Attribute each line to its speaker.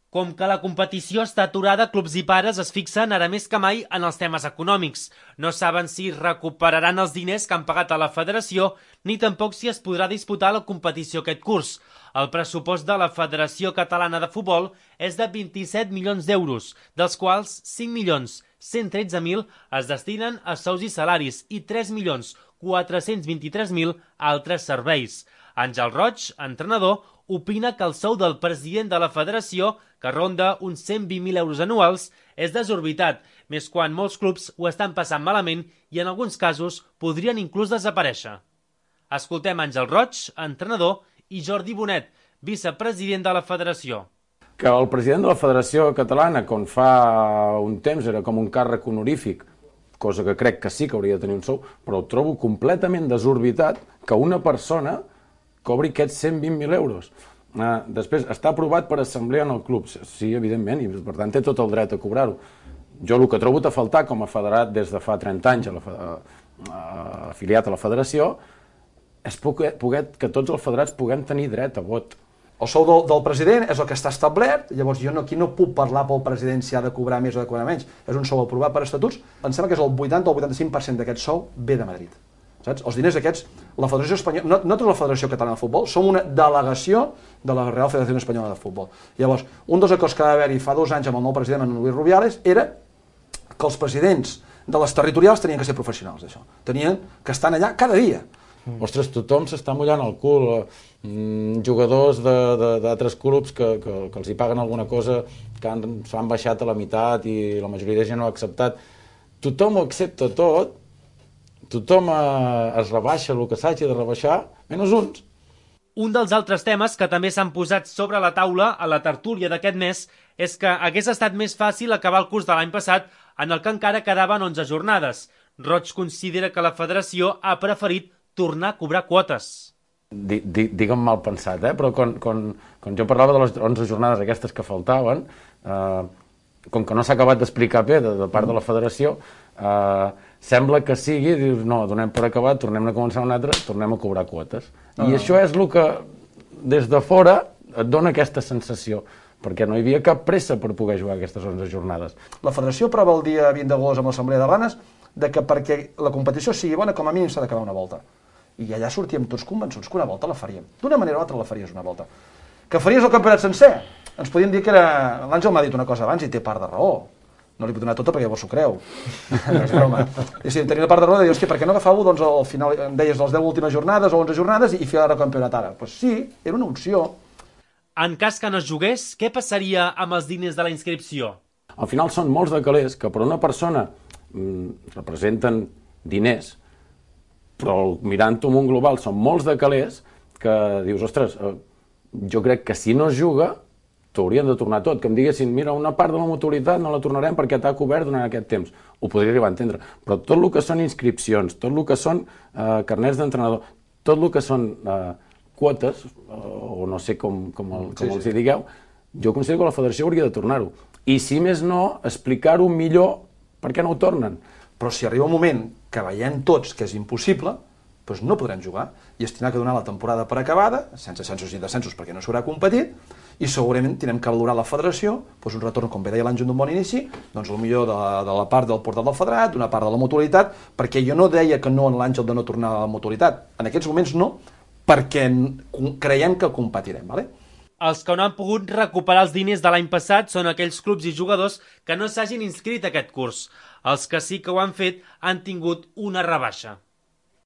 Speaker 1: Com que la competició està aturada, clubs i pares es fixen ara més que mai en els temes econòmics. No saben si recuperaran els diners que han pagat a la federació, ni tampoc si es podrà disputar la competició aquest curs. El pressupost de la Federació Catalana de Futbol és de 27 milions d'euros, dels quals 5.113.000 es destinen a sous i salaris i 3.423.000 a altres serveis. Àngel Roig, entrenador, opina que el sou del president de la federació, que ronda uns 120.000 euros anuals, és desorbitat, més quan molts clubs ho estan passant malament i en alguns casos podrien inclús desaparèixer. Escoltem Àngel Roig, entrenador, i Jordi Bonet, vicepresident de la federació.
Speaker 2: Que el president de la Federació Catalana, quan fa un temps era com un càrrec honorífic, cosa que crec que sí que hauria de tenir un sou, però ho trobo completament desorbitat que una persona cobri aquests 120.000 euros. Després, està aprovat per assemblea en el club, sí, evidentment, i per tant té tot el dret a cobrar-ho. Jo el que trobo a faltar com a federat des de fa 30 anys afiliat a la federació és que tots els federats puguem tenir dret a vot.
Speaker 3: El sou del president és el que està establert, llavors jo aquí no puc parlar pel president si ha de cobrar més o de cobrar menys. És un sou aprovat per estatuts, em sembla que és el 80 o el 85% d'aquest sou ve de Madrid. Saps? Els diners aquests, la Federació Espanyola, nosaltres la Federació Catalana de Futbol som una delegació de la Real Federació Espanyola de Futbol. Llavors, un dels acords que va haver-hi fa 2 anys amb el nou president, en Luis Rubiales, era que els presidents de les territorials tenien que ser professionals d'això. Tenien que estar allà cada dia.
Speaker 2: Ostres, tothom s'està mullant el cul. Jugadors d'altres clubs que els hi paguen alguna cosa que s'han baixat a la meitat i la majoria de gent ho ha acceptat. Tothom ho accepta tot, tothom es rebaixa el que s'hagi de rebaixar, menys uns.
Speaker 1: Un dels altres temes que també s'han posat sobre la taula a la tertúlia d'aquest mes és que hagués estat més fàcil acabar el curs de l'any passat en el que encara quedaven 11 jornades. Roig considera que la federació ha preferit tornar a cobrar quotes.
Speaker 2: Digue'm mal pensat, però quan jo parlava de les 11 jornades aquestes que faltaven, com que no s'ha acabat d'explicar bé de part de la federació, sembla que sigui, dius, no, donem per acabat, tornem a començar un altre, tornem a cobrar quotes. I això és el que des de fora et dona aquesta sensació, perquè no hi havia cap pressa per poder jugar aquestes 11 jornades.
Speaker 3: La federació aprova el dia 20 d'agost amb l'Assemblea de Blanes que perquè la competició sigui bona, com a mínim s'ha d'acabar una volta. I allà sortíem tots convençuts que una volta la faríem. D'una manera o altra la faries una volta. Que faries el campionat sencer? Ens podien dir que era... L'Àngel m'ha dit una cosa abans i té part de raó. No li puc donar tota perquè llavors s'ho creu. No és broma. I si tenia part de raó de dir, hòstia, per què no agafàveu, doncs, al final, em deies, les 10 últimes jornades o 11 jornades i fer el campionat ara? Doncs sí, era una opció.
Speaker 1: En cas que no es jugués, què passaria amb els diners de la inscripció?
Speaker 2: Al final són molts de calés que per una persona representen diners, però mirant-ho en un global són molts de calés que dius, ostres, jo crec que si no es juga t'haurien de tornar tot, que em diguessin, mira, una part de la mutualitat no la tornarem perquè t'ha cobert durant aquest temps. Ho podria arribar a entendre, però tot el que són inscripcions, tot el que són carnets d'entrenador, tot el que són quotes, o no sé com els hi digueu, jo considero que la federació hauria de tornar-ho. I si més no, explicar-ho millor per què no ho tornen.
Speaker 3: Però si arriba un moment que veiem tots que és impossible, doncs no podrem jugar i es tindrà que donar la temporada per acabada, sense ascensos i descensos perquè no s'haurà competit, i segurament tindrem que valorar la federació, doncs un retorn, com bé deia l'Àngel d'un bon inici, doncs potser de la part del portal del federat, d'una part de la mutualitat, perquè jo no deia que no en l'Àngel de no tornar a la mutualitat. En aquests moments no, perquè creiem que competirem, ¿vale?
Speaker 1: Els que no han pogut recuperar els diners de l'any passat són aquells clubs i jugadors que no s'hagin inscrit aquest curs. Els que sí que ho han fet han tingut una rebaixa.